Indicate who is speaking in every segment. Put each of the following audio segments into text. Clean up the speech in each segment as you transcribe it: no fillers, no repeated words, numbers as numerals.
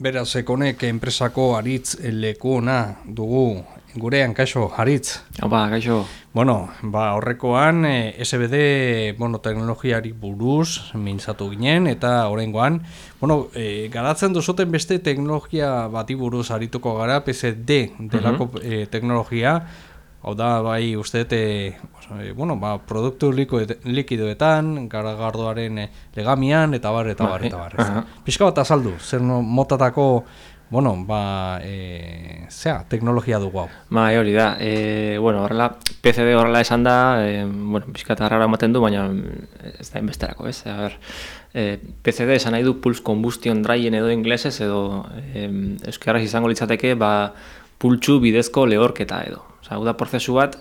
Speaker 1: Beraz, Ekonek enpresako Aritz lekuna dugu gurean, kaixo, Aritz.
Speaker 2: Opa, kaixo.
Speaker 1: Bueno, horrekoan SBD teknologiari buruz mintzatu ginen, eta oraingoan, garatzen duzuten beste teknologia bati buruz arituko gara, PSD delako teknologia. Hau da, bai, uste, produktu likidoetan, garagardoaren legamian, eta bar. Pixka bat azaldu, zer motatako, teknologia dugu hau.
Speaker 2: Hori da, horrela, PCD horrela esan da, pixka eta harrara ematen du, baina ez da inbesterako, ez? PCD esan nahi du Pulse Combustion Drying edo inglesez, edo euskaraz izango litzateke, pultsu bidezko lehorketa edo. Hau da prozesu bat,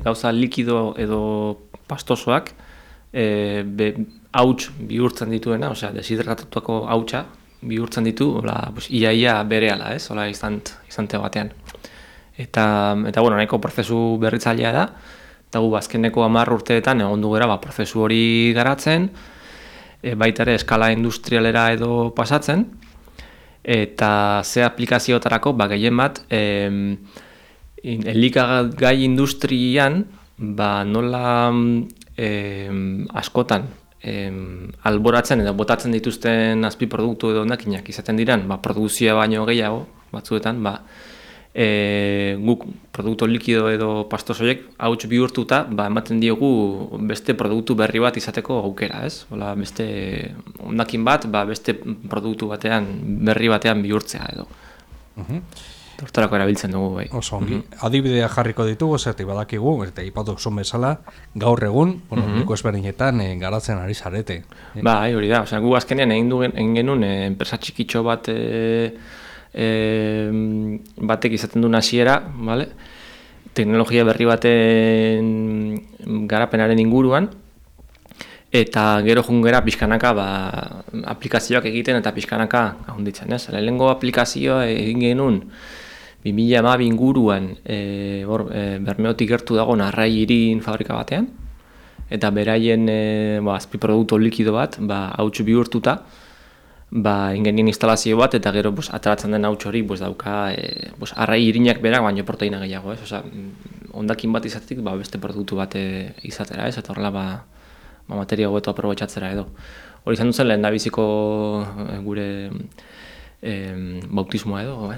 Speaker 2: gauza likido edo pastosoak hauts bihurtzen dituena, deshidratatuako hautsa bihurtzen ditu, iaia berehala, ez, izante batean. Eta nahiko prozesu berritzailea da, eta gu azkeneko 10 urteetan egon du gara prozesu hori garatzen, baita ere eskala industrialera edo pasatzen, eta ze aplikazioetarako gehien bat, elikagai industrian nola askotan alboratzen edo botatzen dituzten azpiproduktu edo hondakinak izaten diren, produzioa baino gehiago batzuetan, guk produktu likido edo pastosoiek hauts bihurtuta ematen diogu beste produktu berri bat izateko aukera, ez? Beste hondakin bat, beste produktu batean, berri batean bihurtzea edo. Hortarako erabiltzen dugu, bai.
Speaker 1: Oso ongi. Adibidea jarriko ditugu, zertik badakigu, eta ipatok zuen bezala, gaur egun, leku ezberdinetan garatzen ari zarete.
Speaker 2: Bai, hori da. Gu azkenean egin genuen enpresa txikitxo bat batek izaten duen hasiera, teknologia berri baten garapenaren inguruan, eta gero jungera pixkanaka aplikazioak egiten eta pixkanaka ahonditzen, ez? Lehenengo aplikazioa egin genuen 2012 inguruan Bermeotik gertu dago Arrai Irin fabrika batean, eta beraien azpiproduktu likido bat hauts bihurtuta ingenien instalazio bat, eta gero ateratzen den hauts hori dauka Arrai Irinak berak baino proteina gehiago, ez? Hondakin bat izatetik beste produktu bat izatera, ez? Eta horrela materia hobeto aprobetxatzera edo. Hori izan duzen lehendabiziko gure bautismoa edo.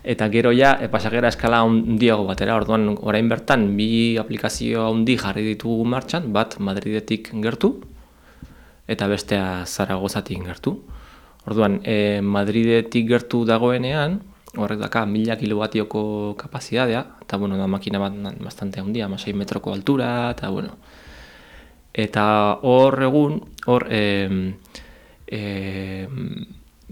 Speaker 2: Eta gero pasagera eskala handiago batera, orduan orain bertan 2 aplikazio handi jarri ditugu martxan, bat Madridetik gertu eta bestea Zaragozatik gertu. Orduan Madridetik gertu dagoenean, horrek daka 1000 kilowatioko kapazitatea, eta da makina bat bastante handia, 6 metroko altura, eta hor egun,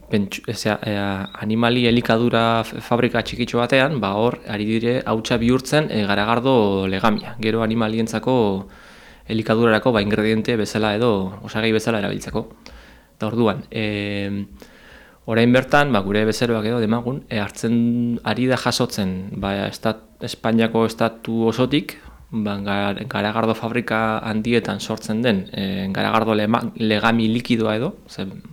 Speaker 2: animali elikadura fabrika txikitxo batean, hor ari dire hautsa bihurtzen garagardo legamia. Gero animalientzako elikadurarako ingrediente bezala edo osagai bezala erabiltzeko. Eta orduan, orain bertan, gure bezeroak edo demagun, hartzen ari da jasotzen Espainiako estatu osotik, garagardo fabrika handietan sortzen den garagardo legami likidoa edo,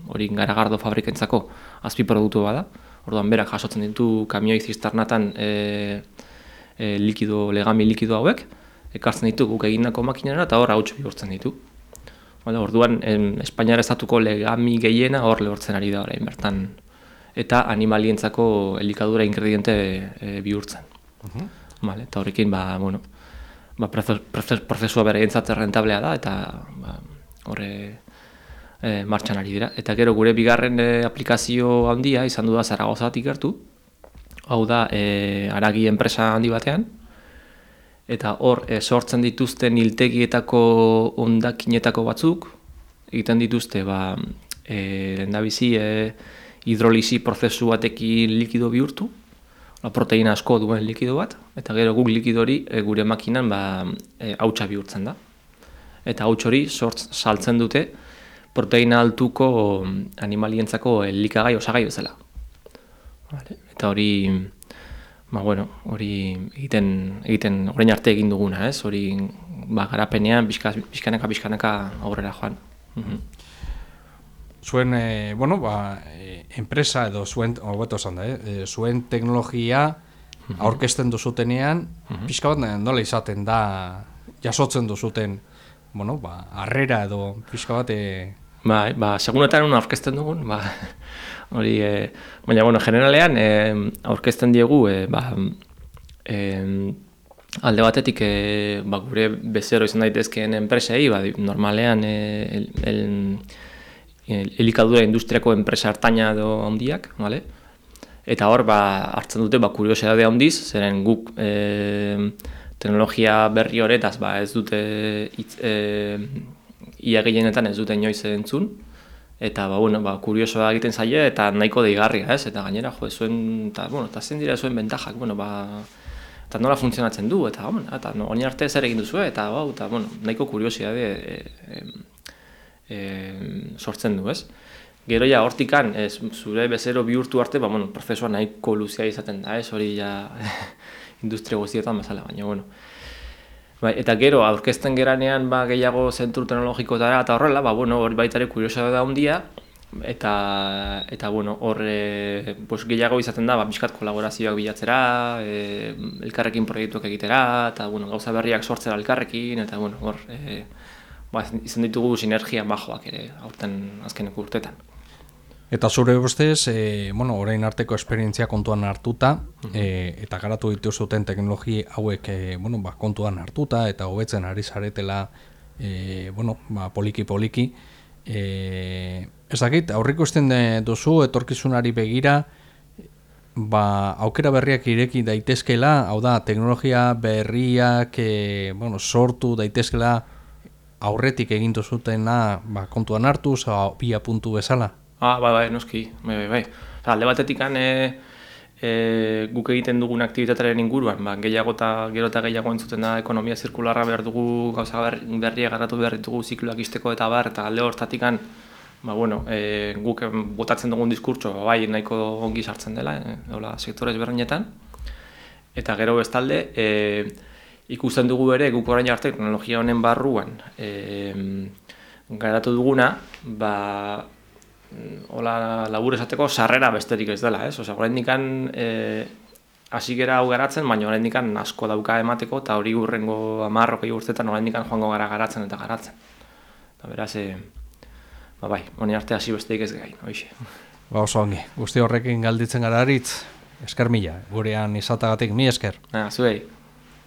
Speaker 2: hori garagardo fabrikentzako azpiproduktu bada. Orduan berak jasotzen ditu kamioi zisternatan legami likido hauek, ekartzen ditu guk egindako makinera eta hor hauts bihurtzen ditu. Orduan Espainiar estatuko legami gehiena hor lehortzen ari da orain bertan, eta animalientzako elikadura ingrediente bihurtzen. Eta horrekin, prozesua beraientzat rentablea da, eta horre martxan ari dira. Eta gero gure bigarren aplikazio handia izan du da Zaragozatik gertu, hau da haragi enpresa handi batean, eta hor sortzen dituzten hiltegietako hondakinetako batzuk, egiten dituzte lehendabizi hidrolisi prozesu batekin likido bihurtu, proteina asko duen likido bat, eta gero guk likido hori gure makinan hautsa bihurtzen da. Eta hauts hori saltzen dute proteina altuko animalientzako elikagai osagai bezala. Eta hori, hori egiten orain arte egin duguna, ez? Hori garapenean pixkanaka aurrera joan.
Speaker 1: zuen, enpresa edo zuen, hobeto esan da, zuen teknologia aurkezten duzutenean, pixka bat nola izaten da, jasotzen duzuten, harrera edo pixka bat...
Speaker 2: segunetan aurkezten dugun, hori, baina, generalean, aurkezten diegu, alde batetik gure bezero izan daitezkeen enpresei, normalean elikadura industriako enpresa hartaina edo handiak, vale? Eta hor hartzen dute kuriosidade handiz, zeren guk teknologia berri horretaz ez dute ia gehienetan ez dute inoiz entzun, eta kuriosoa egiten zaie eta nahiko deigarria, ez? Eta gainera zuen eta zen dira zuen bentajak, eta nola funtzionatzen du, eta honi arte zer egin duzu, eta nahiko kuriosidade sortzen du, ez? Gero ja hortikan, zure bezero bihurtu arte, prozesua nahiko luzea izaten da, ez? Hori ja industria guztietan bezala, baina, eta gero, aurkezten geranean gehiago zentru teknologikotara eta horrela, hori baitare kuriosa da handia, eta hor gehiago izaten da, bizkat kolaborazioak bilatzera, elkarrekin proiektuak egitera, eta gauza berriak sortzera elkarrekin, eta hor izan ditugu sinergia bajoak ere, aurten azkeneko urtetan.
Speaker 1: Eta zure ustez, orain arteko esperientzia kontuan hartuta, eta garatu dituzuten teknologi hauek kontuan hartuta, eta hobetzen ari zaretela, poliki-poliki. Ez dakit, aurrikusten duzu, etorkizunari begira, aukera berriak ireki daitezkela, hau da, teknologia berriak sortu daitezkela aurretik egin duzutena kontuan hartuz, bia puntu bezala?
Speaker 2: Noski, bai. Alde batetik guk egiten dugun aktibitatearen inguruan, gehiago eta gehiago entzuten da ekonomia zirkularra behar dugu, gauza berriak garatu behar ditugu zikloak izteko eta eta alde hortatik guk botatzen dugun diskurtso nahiko ongi sartzen dela, sektore ezberdinetan. Eta gero bestalde, ikusten dugu ere guk orain arte teknologia honen barruan garatu duguna, hola labur esateko sarrera besterik ez dela, ez? Oraindik hasi gera hau garatzen, baina oraindik asko dauka emateko eta hori hurrengo 10-20 urteetan oraindik joango gara garatzen eta garatzen. Eta beraz, honi arte hasi besterik ez gain, hoixe.
Speaker 1: Oso ongi, guzti horrekin galditzen gara aritz, esker mila, gurean izatagatik, mi esker.
Speaker 2: Zuei.